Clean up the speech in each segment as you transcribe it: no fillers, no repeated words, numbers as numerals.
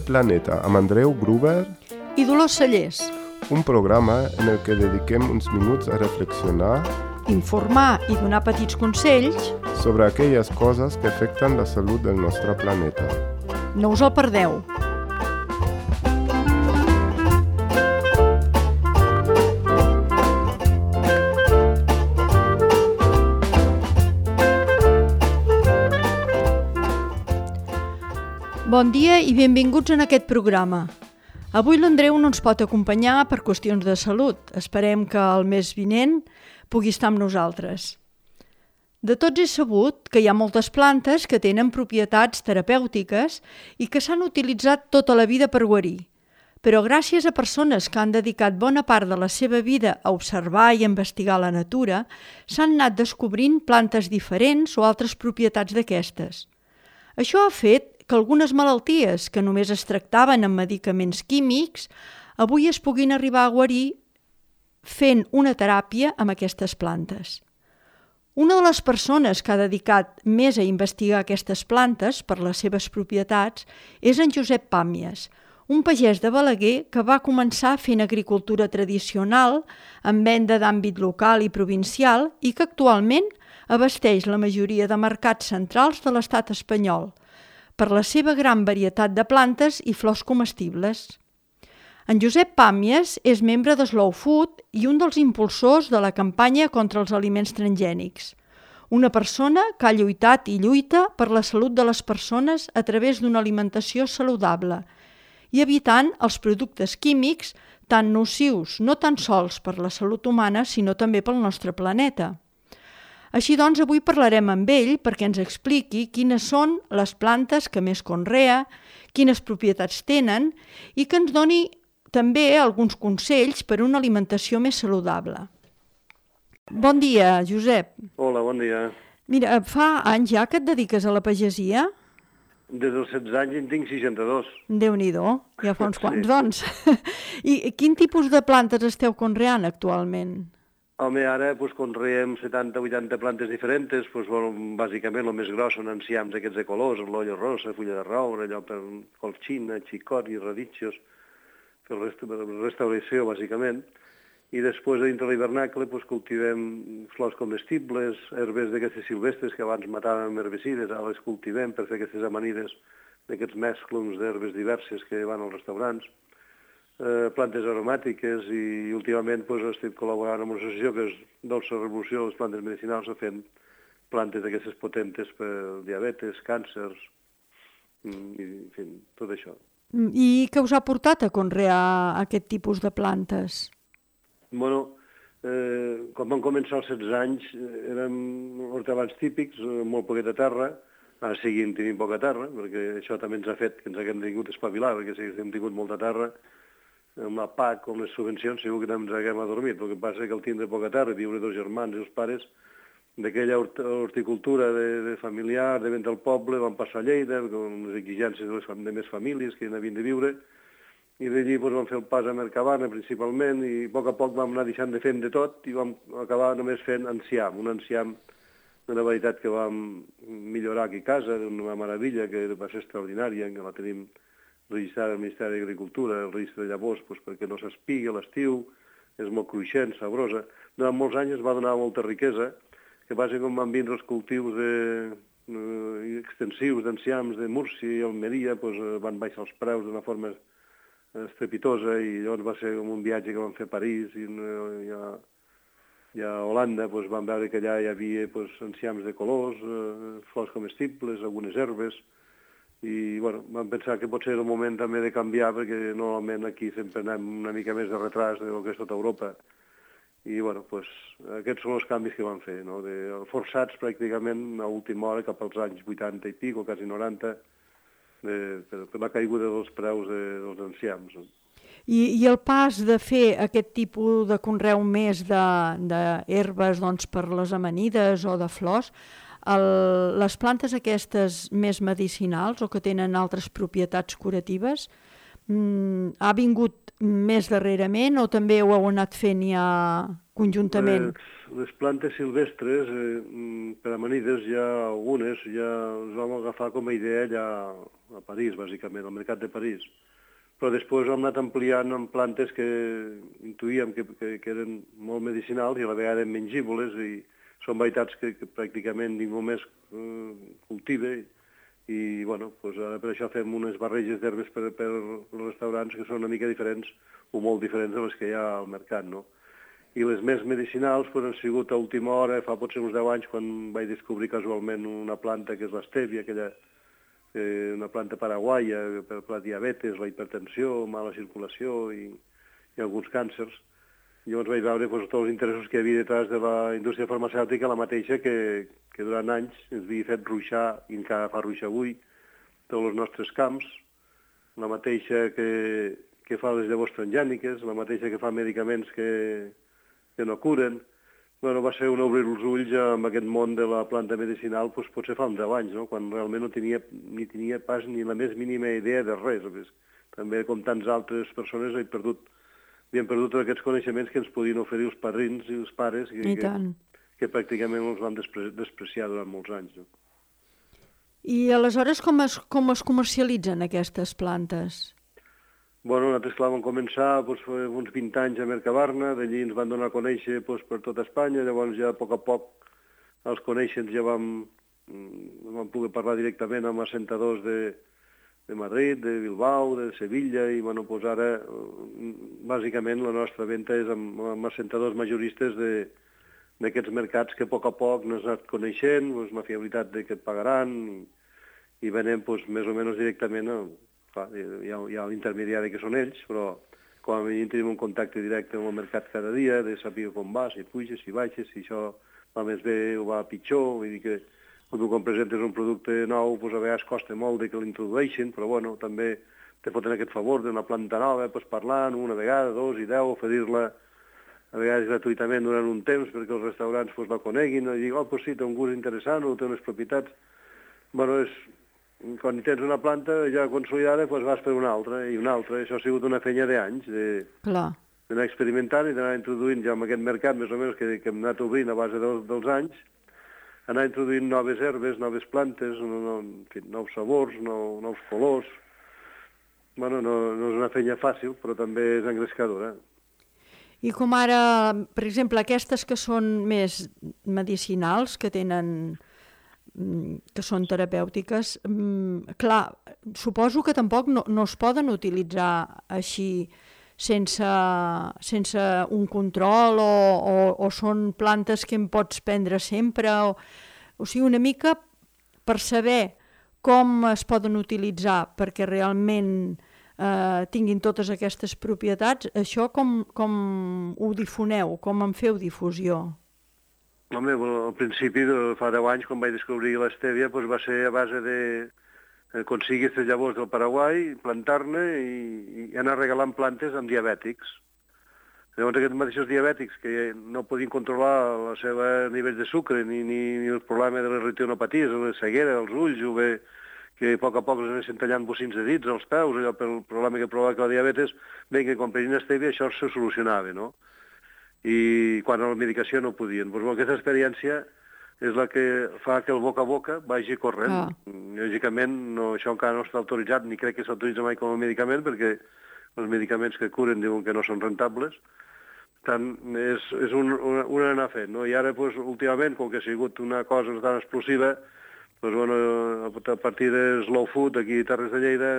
Planeta amb Andreu Gruber i Dolors Cellers. Un programa en el que dediquem uns minuts a reflexionar, informar i donar petits consells sobre aquelles coses que afecten la salut del nostre planeta. No us el perdeu. Bon dia i benvinguts en aquest programa. Avui l'Andreu no ens pot acompanyar per qüestions de salut. Esperem que el mes vinent pugui estar amb nosaltres. De tots és sabut que hi ha moltes plantes que tenen propietats terapèutiques i que s'han utilitzat tota la vida per guarir. Però gràcies a persones que han dedicat bona part de la seva vida a observar i investigar la natura, s'han anat descobrint plantes diferents o altres propietats d'aquestes. Això ha fet que algunes malalties que només es tractaven amb medicaments químics avui es puguin arribar a guarir fent una teràpia amb aquestes plantes. Una de les persones que ha dedicat més a investigar aquestes plantes per les seves propietats és en Josep Pàmies, un pagès de Balaguer que va començar fent agricultura tradicional amb venda d'àmbit local i provincial i que actualment abasteix la majoria de mercats centrals de l'estat espanyol per la seva gran varietat de plantes i flors comestibles. En Josep Pàmies és membre de Slow Food i un dels impulsors de la campanya contra els aliments transgènics. Una persona que ha lluitat i lluita per la salut de les persones a través d'una alimentació saludable i evitant els productes químics tan nocius no tan sols per la salut humana sinó també pel nostre planeta. Així doncs, avui parlarem amb ell perquè ens expliqui quines són les plantes que més conrea, quines propietats tenen i que ens doni també alguns consells per a una alimentació més saludable. Bon dia, Josep. Hola, bon dia. Mira, fa anys ja que et dediques a la pagesia? Des dels 16 anys en tinc 62. Déu-n'hi-do, ja fa uns quants, doncs. I quin tipus de plantes esteu conreant actualment? Home, ara conreem 70-80 plantes diferents, bàsicament el més gros són enciams aquests de colors, l'olla rosa, fulla de roure, allò per colxina, xicot i raditxos, per restauració, bàsicament. I després, dintre l'hivernacle, cultivem flors comestibles, herbes d'aquestes silvestres que abans matàvem amb herbicides, ara les cultivem per fer aquestes amanides d'aquests mesclums d'herbes diverses que van als restaurants. Plantes aromàtiques i últimament estic col·laborant amb una associació que és Dolça Revolució de les Plantes Medicinals fent plantes d'aquestes potentes per diabetes, càncers, i en fi, tot això. I què us ha portat a conrear aquest tipus de plantes? Bueno, quan vam començar als 16 anys érem hortelans típics, molt poqueta terra, ara seguim tenint poca terra, perquè això també ens ha fet que ens haguem tingut espavilar, perquè si haguéssim tingut molta terra, amb la PAC o amb les subvencions segur que no ens haguem adormit. El que passa és que al tindre poca terra, viure dos germans i els pares, d'aquella horticultura de familiar, de vent al poble, vam passar a Lleida, amb les exigències de més famílies que hi havien de viure, i d'allí vam fer el pas a Mercabana principalment, i a poc vam anar deixant de fer de tot, i vam acabar només fent enciam, un enciam d'una varietat que vam millorar aquí a casa, d'una meravella que va ser extraordinària, que la tenim registrada al Ministeri d'Agricultura, el registre de llavors, perquè no s'espigui a l'estiu, és molt cruixent, sabrosa. Durant molts anys es va donar molta riquesa, que passa que van vindre els cultius extensius d'enciams de Múrcia i Almeria, van baixar els preus d'una forma estrepitosa i llavors va ser com un viatge que vam fer a París i a Holanda, vam veure que allà hi havia enciams de colors, flors comestibles, algunes herbes, i vam pensar que potser era el moment també de canviar perquè normalment aquí sempre anem una mica més de retras del que és tota Europa i aquests són els canvis que vam fer, forçats pràcticament a última hora cap als anys 80 i pico, quasi 90 per la caiguda dels preus dels enciams. I el pas de fer aquest tipus de conreu més d'herbes per les amanides o de flors, les plantes aquestes més medicinals o que tenen altres propietats curatives ha vingut més darrerament o també ho heu anat fent ja conjuntament? Les plantes silvestres, per amanides, hi ha algunes, ja les vam agafar com a idea allà a París, bàsicament, al mercat de París. Però després hem anat ampliant amb plantes que intuïem que eren molt medicinals i a la vegada mengibles i són varietats que pràcticament ningú més cultiva i bueno, doncs ara per això fem unes barreges d'herbes per als restaurants que són una mica diferents o molt diferents de les que hi ha al mercat, no? I les més medicinals han sigut a última hora, fa potser uns 10 anys, quan vaig descobrir casualment una planta que és l'estèvia, una planta paraguaia per la diabetes, la hipertensió, mala circulació i alguns càncers. Llavors vaig veure tots els interessos que hi havia detrás de la indústria farmacèutica, la mateixa que durant anys ens havia fet ruixar, i encara fa ruixar avui, tots els nostres camps, la mateixa que fa les llavors transgèniques, la mateixa que fa medicaments que no curen. Bueno, va ser un obrir els ulls amb aquest món de la planta medicinal, doncs potser fa uns 10 anys, no? Quan realment no tenia pas ni la més mínima idea de res. També, com tants altres persones, havien perdut aquests coneixements que ens podien oferir els padrins i els pares, que pràcticament els van despreciar durant molts anys. No? I aleshores com es comercialitzen aquestes plantes? Bueno, nosaltres, clar, vam començar uns 20 anys a Mercabarna, d'allí ens van donar a conèixer per tota Espanya, llavors ja a poc els coneixents ja vam poder parlar directament amb assentadors de Madrid, de Bilbao, de Sevilla, i bueno, doncs ara bàsicament la nostra venda és amb assentadors majoristes d'aquests mercats que a poc nos ha anat coneixent, la fiabilitat de que et pagaran, i venem més o menys directament hi ha l'intermediari que són ells, però com a mínim tenim un contacte directe amb el mercat cada dia, de saber com va, si puges, si baixes, si això va més bé o va pitjor. Vull dir que quan presentes un producte nou, a vegades costa molt que l'introdueixin, però bueno, també te foten aquest favor d'una planta nova, parlant una vegada, 2 i 10, oferir-la a vegades gratuïtament durant un temps perquè els restaurants la coneguin, i dir, sí, té un gust interessant o té unes propietats. Bueno, quan tens una planta ja consolidada, vas per una altra i una altra. Això ha sigut una feina d'anys, d'anar experimentant i d'anar introduint ja en aquest mercat, més o menys, que hem anat obrint a base dels anys, anar introduint noves herbes, noves plantes, nous sabors, nous colors. Bueno, no és una feina fàcil, però també és engrescadora. I com ara, per exemple, aquestes que són més medicinals, que són terapèutiques, clar, suposo que tampoc no es poden utilitzar així sense un control o són plantes que en pots prendre sempre, o sigui, una mica per saber com es poden utilitzar perquè realment tinguin totes aquestes propietats. Això com ho difoneu, com en feu difusió? Home, al principi, fa 10 anys, quan vaig descobrir l'estèvia, va ser a base de aconseguir les llavors del Paraguai, plantar-ne i anar regalant plantes amb diabètics. Llavors aquests mateixos diabètics que no podien controlar el seu nivell de sucre ni el problema de les retinopaties, la ceguera, els ulls, o bé que a poc els anessin tallant bocins de dits als peus, allò pel problema que provoca la diabetes, bé que quan prenien estèvia això se solucionava, no? I quan a la medicació no podien. Doncs aquesta experiència és la que fa que el boca a boca vagi corrent. Lògicament, això encara no està autoritzat, ni crec que s'autoritza mai com a medicament, perquè els medicaments que curen diuen que no són rentables. Tant és un anar fent, no? I ara, últimament, com que ha sigut una cosa tan explosiva, a partir de Slow Food, aquí a Terres de Lleida,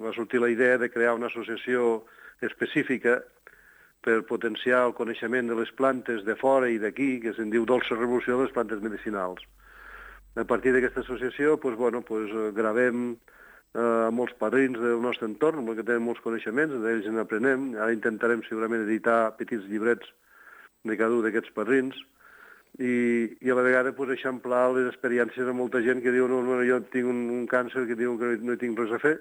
va sortir la idea de crear una associació específica per potenciar el coneixement de les plantes de fora i d'aquí, que se'n diu Dolça Revolució de les plantes medicinals. A partir d'aquesta associació, gravem molts padrins del nostre entorn, perquè tenen molts coneixements, d'ells en aprenem. Ara intentarem segurament editar petits llibrets de cada un d'aquests padrins i a la vegada eixamplar les experiències de molta gent que diu jo tinc un càncer que diu que no hi tinc res a fer.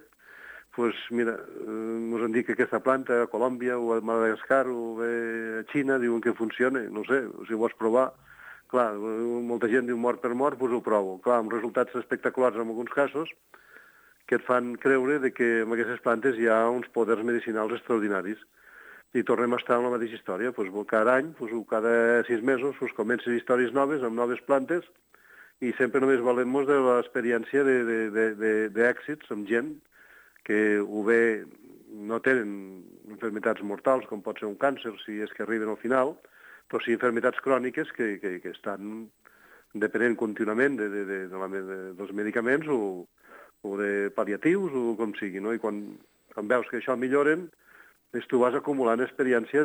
Mira, ens han dit que aquesta planta a Colòmbia o a Madagascar o a Xina diuen que funciona, no sé, si ho vols provar. Clar, molta gent diu mort per mort, ho provo. Clar, amb resultats espectaculars en alguns casos que et fan creure que amb aquestes plantes hi ha uns poders medicinals extraordinaris. i tornem a estar en la mateixa història. Cada any, cada 6 mesos, comencen històries noves, amb noves plantes, i sempre només valem-nos de l'experiència d'èxits amb gent que o bé no tenen enfermetats mortals, com pot ser un càncer, si és que arriben al final, però sí enfermetats cròniques que estan depenent contínuament dels medicaments o de pal·liatius o com sigui, no? I quan veus que això milloren, tu vas acumulant experiència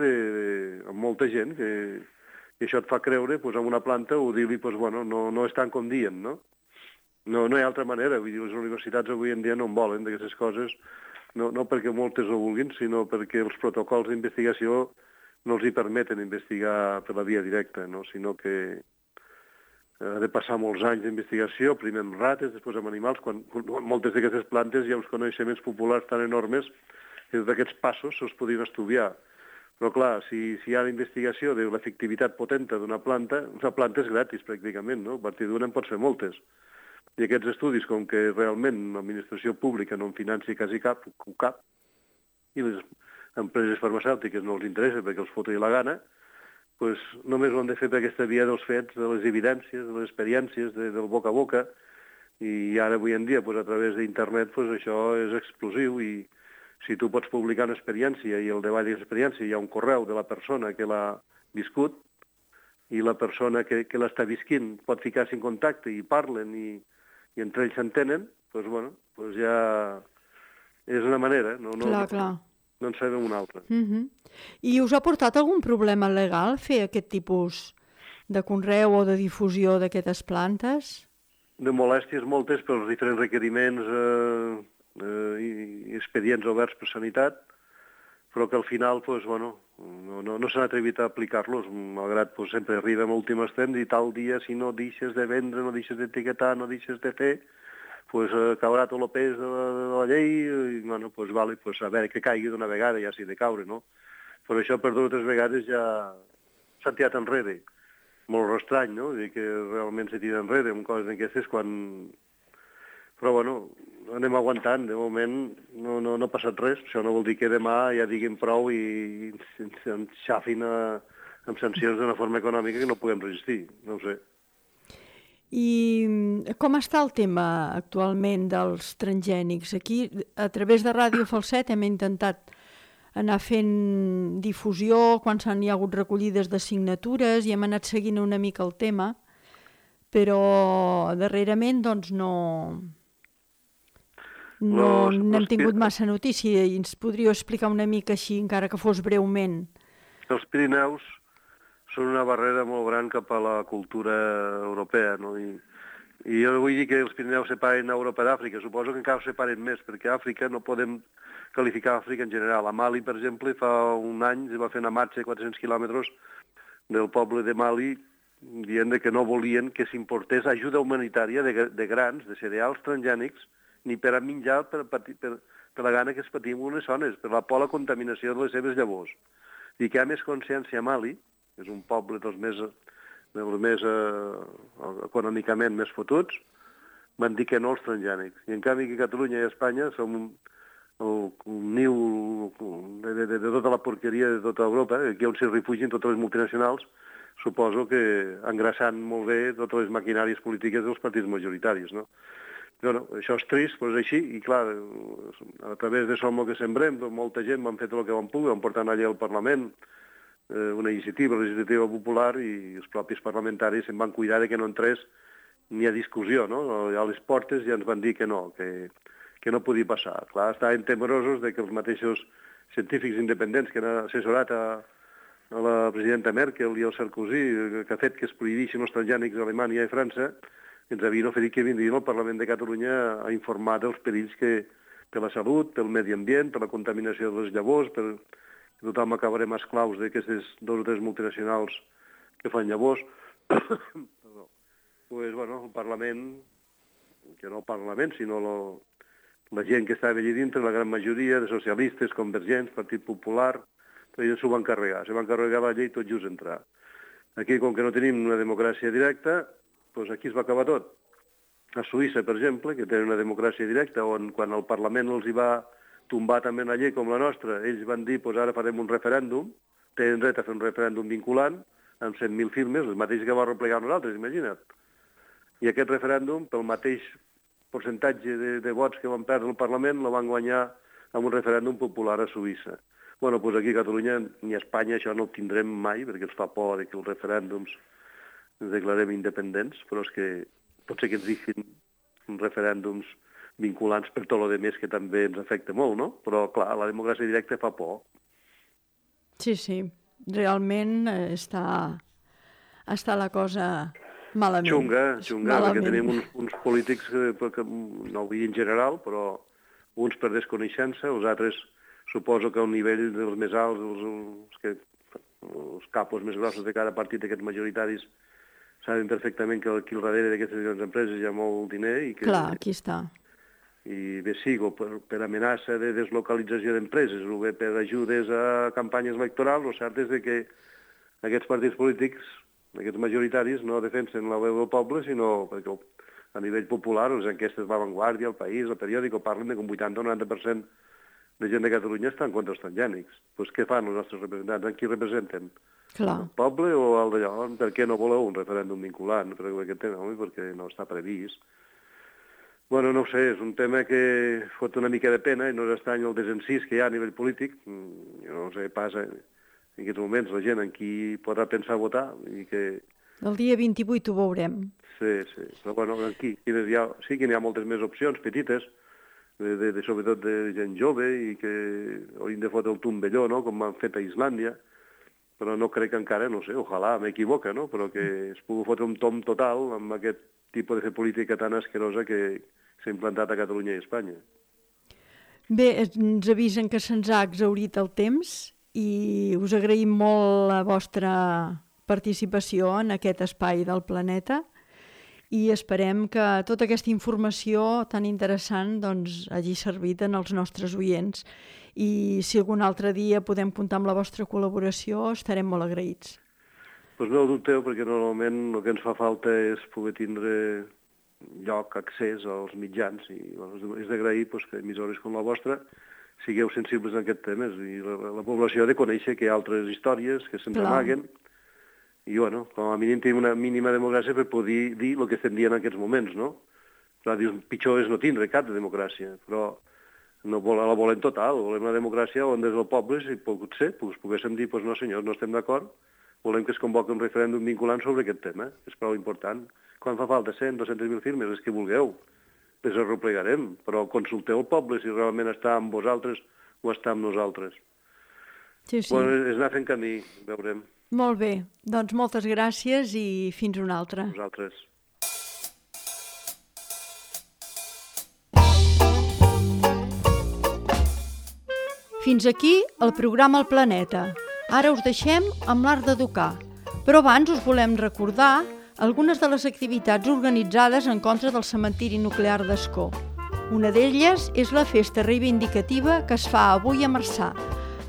amb molta gent i això et fa creure en una planta o dir-li, no és tant com diuen, no? No hi ha altra manera. Vull dir, les universitats avui en dia no en volen d'aquestes coses, no perquè moltes ho vulguin, sinó perquè els protocols d'investigació no els hi permeten investigar per la via directa, no? Sinó que ha de passar molts anys d'investigació, primer amb rates, després amb animals, quan moltes d'aquestes plantes hi ha uns coneixements populars tan enormes que tots aquests passos se'ls podrien estudiar. Però clar, si hi ha investigació de l'efectivitat potenta d'una planta, una planta és gratis pràcticament, no? A partir d'una en pots fer moltes. I aquests estudis, com que realment l'administració pública no en financi quasi cap, i les empreses farmacèutiques no els interessa perquè els foti la gana, doncs només ho han de fer per aquesta via dels fets, de les evidències, de les experiències, del boca a boca, i ara avui en dia, a través d'internet, això és explosiu, i si tu pots publicar una experiència i al davall d'aquesta experiència hi ha un correu de la persona que l'ha viscut i la persona que l'està visquint pot ficar-se en contacte i parlen i entre ells s'entenen, doncs ja és una manera. Clar. No en sabem una altra. I us ha portat algun problema legal fer aquest tipus de conreu o de difusió d'aquestes plantes? De molèsties moltes pels diferents requeriments i expedients oberts per sanitat, però que al final no s'han atrevit a aplicar-los, malgrat sempre arribem a últim extrem i tal dia, si no deixes de vendre, no deixes d'etiquetar, no deixes de fer, caurà tot el pes de la llei i, a veure que caigui d'una vegada, ja s'hi de caure, no? Però això per 2 o 3 vegades ja s'ha tirat enrere. Molt estrany, no? Dir que realment s'ha tirat enrere amb coses d'aquestes quan... Però, anem aguantant. De moment no ha passat res. Això no vol dir que demà ja diguin prou i ens xafin amb sancions d'una forma econòmica que no puguem resistir. No ho sé. I com està el tema actualment dels transgènics? Aquí, a través de Ràdio Falset, hem intentat anar fent difusió quan hi ha hagut recollides de signatures i hem anat seguint una mica el tema, però darrerament no hem tingut massa notícia i ens podríeu explicar una mica així, encara que fos breument. Els Pirineus són una barrera molt gran cap a la cultura europea, no? I jo vull dir que els Pirineus separen Europa d'Àfrica. Suposo que encara separen més, perquè Àfrica no podem qualificar Àfrica en general. A Mali, per exemple, fa un any es va fer una marxa de 400 quilòmetres del poble de Mali dient que no volien que s'importés ajuda humanitària de grans, de cereals transgènics, ni per a menjar per la gana que es patim unes zones, per la por a la contaminació de les seves llavors. I que hi ha més consciència a Mali, que és un poble dels més econòmicament més fotuts, van dir que no als transgènics. I en canvi que Catalunya i Espanya som un niu de tota la porqueria de tota Europa, aquí on s'hi refugien totes les multinacionals, suposo que engraçant molt bé totes les maquinàries polítiques dels partits majoritaris, no? Això és trist, però és així, i clar, a través de Som el que sembrem, molta gent van fer tot el que van poder, van portar una llei al Parlament, una iniciativa legislativa popular, i els propis parlamentaris se'n van cuidar que no entrés ni a discussió, no? A les portes ja ens van dir que no podia passar. Clar, estaven temerosos que els mateixos científics independents que han assessorat a la presidenta Merkel i el Sarkozy, que ha fet que es prohibeixin els transgènics a Alemanya i França, ens havien oferit que vindrien al Parlament de Catalunya a informar dels perills que per la salut, pel medi ambient, per la contaminació de les llavors, que tothom acabarem esclaus d'aquestes 2 o 3 multinacionals que fan llavors. El Parlament, que no el Parlament, sinó la gent que estava allà dintre, la gran majoria de socialistes, convergents, Partit Popular, ells s'ho van carregar. Se van carregar la llei tot just entrar. Aquí, com que no tenim una democràcia directa, doncs aquí es va acabar tot. A Suïssa, per exemple, que tenen una democràcia directa, on quan el Parlament els hi va tombar també una llei com la nostra. Ells van dir, doncs ara farem un referèndum, tenen dret a fer un referèndum vinculant, amb 100.000 firmes, el mateix que va replegar nosaltres, imagina't. I aquest referèndum, pel mateix percentatge de vots que van perdre el Parlament, el van guanyar amb un referèndum popular a Suïssa. Bueno, doncs aquí a Catalunya ni a Espanya això no ho tindrem mai, perquè ens fa por que els referèndums ens declarem independents, però és que pot ser que ens diguin referèndums vinculants per tot el que també ens afecta molt, no? Però, clar, la democràcia directa fa por. Sí, sí. Realment està la cosa malament. Xunga, perquè tenim uns polítics, que no vull dir en general, però uns per desconeixença, els altres suposo que a un nivell dels més alts, els capos més grossos de cada partit d'aquests majoritaris saben perfectament que aquí al darrere d'aquestes grans empreses hi ha molt diner i que... Clar, aquí està. I bé sigo per amenaça de deslocalització d'empreses o bé per ajudes a campanyes electorals, el cert és que aquests partits polítics, aquests majoritaris, no defensen la veu del poble, sinó perquè a nivell popular les enquestes de La Vanguardia, El País, El Periòdico, parlen de que un 80 o 90% de gent de Catalunya està en contra dels transgènics. Doncs què fan els nostres representants? En qui representen? Clar. El poble o el d'allò? Per què no voleu un referèndum vinculant? Perquè no està previst. Bueno, no ho sé, és un tema que fot una mica de pena i no és estrany el desencís que hi ha a nivell polític. Jo no sé, passa en aquests moments la gent en qui podrà pensar votar i que... El dia 28 ho veurem. Sí, però bueno, aquí sí que n'hi ha moltes més opcions petites, sobretot de gent jove i que haurien de fotre el tombelló, no?, com han fet a Islàndia, però no crec que encara, no sé, ojalà m'equivoca, no?, però que es pugui fotre un tom total amb aquest tipus de fer política tan asquerosa que s'ha implantat a Catalunya i a Espanya. Bé, ens avisen que se'ns ha exhaurit el temps i us agraïm molt la vostra participació en aquest espai del planeta i esperem que tota aquesta informació tan interessant doncs, hagi servit en els nostres oients i si algun altre dia podem comptar amb la vostra col·laboració estarem molt agraïts. Doncs no ho dubteu, perquè normalment el que ens fa falta és poder tindre lloc, accés als mitjans i és d'agrair que emissores com la vostra sigueu sensibles en aquests temes i la població ha de conèixer que hi ha altres històries que se'ns amaguen i, bueno, com a mínim tenim una mínima democràcia per poder dir el que estem dient en aquests moments, no? Clar, dius, pitjor és no tindre cap de democràcia, però no la volem total, volem una democràcia on des del poble, si potser, poguéssim dir, doncs no senyors, no estem d'acord, volem que es convoqui un referèndum vinculant sobre aquest tema, és prou important. Quan fa falta 100, 200.000 firmes, és que vulgueu, les arreplegarem, però consulteu el poble si realment està amb vosaltres o està amb nosaltres. Sí. Bueno, és anar fent camí, veurem. Molt bé, doncs moltes gràcies i fins una altra. Vosaltres. Fins aquí el programa El Planeta. Ara us deixem amb l'art d'educar, però abans us volem recordar algunes de les activitats organitzades en contra del cementiri nuclear d'Ascó. Una d'elles és la festa reivindicativa que es fa avui a Marçà.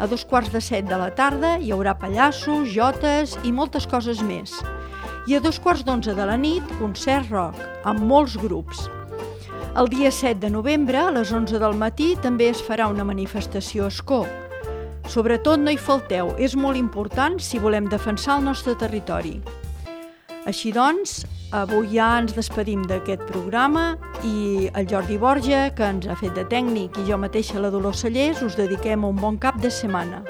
A 7:15 de la tarda hi haurà pallassos, jotes i moltes coses més. I a 11:15 de la nit, concert rock, amb molts grups. El dia 7 de novembre, a les 11 del matí, també es farà una manifestació a Ascó. Sobretot no hi falteu, és molt important si volem defensar el nostre territori. Així doncs, avui ja ens despedim d'aquest programa i el Jordi Borja, que ens ha fet de tècnic, i jo mateixa, la Dolors Cellers, us dediquem un bon cap de setmana.